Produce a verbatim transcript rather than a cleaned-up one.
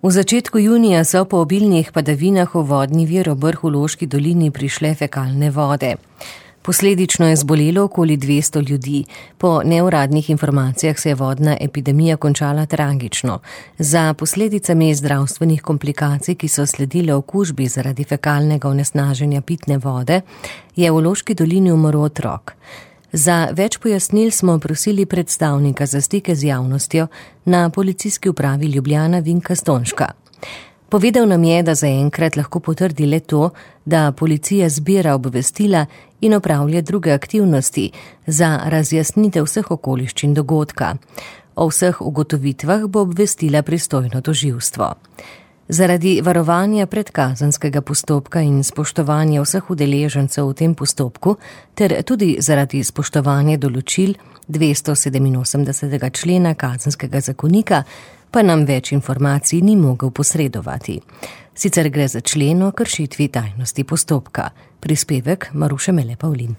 V začetku junija so po obilnih padavinah v vodni vir ob vrhu Loški dolini prišle fekalne vode. Posledično je zbolelo okoli dvesto ljudi. Po neuradnih informacijah se je vodna epidemija končala tragično. Za posledicami zdravstvenih komplikacij, ki so sledile okužbi zaradi fekalnega onesnaženja pitne vode, je v Loški dolini umrl otrok. Za več pojasnil smo prosili predstavnika za stike z javnostjo na Policijski upravi Ljubljana Vinka Stonžka. Povedal nam je, da zaenkrat lahko potrdi le to, da policija zbira obvestila in opravlja druge aktivnosti za razjasnitev vseh okoliščin dogodka. O vseh ugotovitvah bo obvestila pristojno tožilstvo. Zaradi varovanja predkazenskega postopka in spoštovanja vseh udeležencev v tem postopku ter tudi zaradi spoštovanja določil dvestosedeminosemdesetega člena Kazenskega zakonika pa nam več informacij ni mogel posredovati. Sicer gre za člen o kršitvi tajnosti postopka. Prispevek Maruše Mele Pavlin.